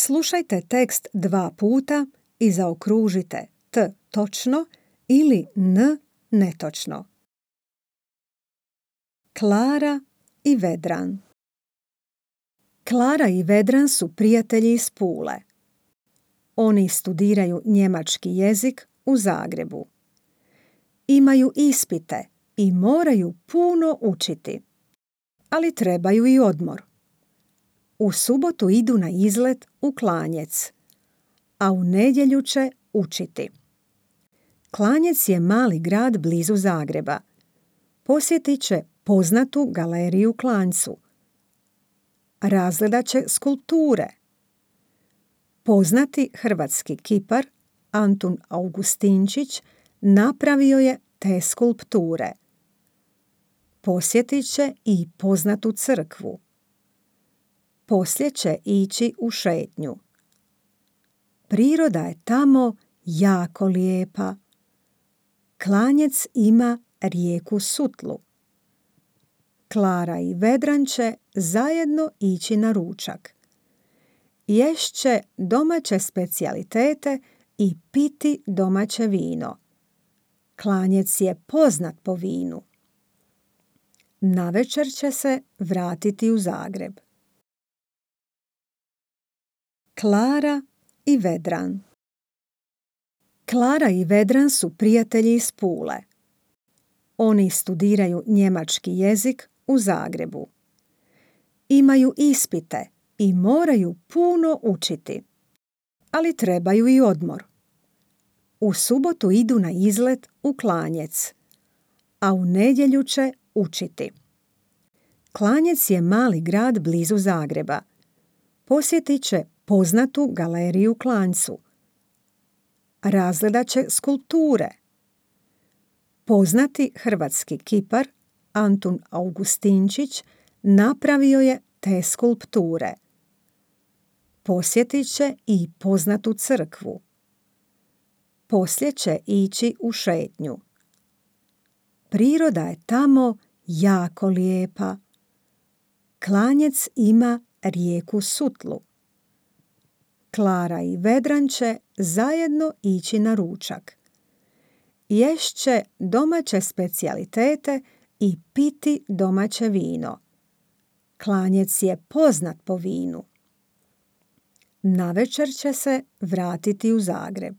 Slušajte tekst 2 puta i zaokružite t točno ili n netočno. Klara i Vedran. Klara i Vedran su prijatelji iz Pule. Oni studiraju njemački jezik u Zagrebu. Imaju ispite i moraju puno učiti, ali trebaju i odmor. U subotu idu na izlet u Klanjec, a u nedjelju će učiti. Klanjec je mali grad blizu Zagreba. Posjetit će poznatu galeriju u Klanjcu. Razgledat će skulpture. Poznati hrvatski kipar Antun Augustinčić napravio je te skulpture. Posjetit će i poznatu crkvu. Poslije će ići u šetnju. Priroda je tamo jako lijepa. Klanjec ima rijeku Sutlu. Klara i Vedran će zajedno ići na ručak. Ješće domaće specijalitete i piti domaće vino. Klanjec je poznat po vinu. Navečer će se vratiti u Zagreb. Klara i Vedran. Klara i Vedran su prijatelji iz Pule. Oni studiraju njemački jezik u Zagrebu. Imaju ispite i moraju puno učiti, ali trebaju i odmor. U subotu idu na izlet u Klanjec, a u nedjelju će učiti. Klanjec je mali grad blizu Zagreba. Posjetit će poznatu galeriju u Klanjcu. Razgledat će skulpture. Poznati hrvatski kipar Antun Augustinčić napravio je te skulpture. Posjetit će i poznatu crkvu. Poslije će ići u šetnju. Priroda je tamo jako lijepa. Klanjec ima rijeku Sutlu. Klara i Vedran će zajedno ići na ručak. Ješće domaće specijalitete i piti domaće vino. Klanjec je poznat po vinu. Navečer će se vratiti u Zagreb.